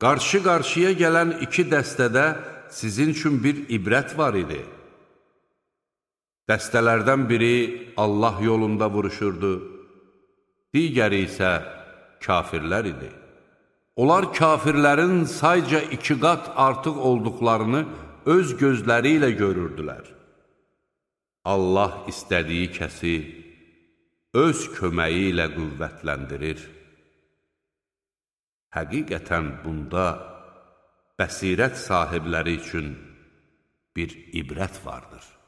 Qarşı-qarşıya gələn iki dəstədə sizin üçün bir ibrət var idi. Dəstələrdən biri Allah yolunda vuruşurdu, digəri isə kafirlər idi. Onlar kafirlərin sayca 2 qat artıq olduqlarını öz gözləri ilə görürdülər. Allah istədiyi kəsi öz köməyi ilə qüvvətləndirir. Həqiqətən bunda bəsirət sahibləri üçün bir ibrət vardır.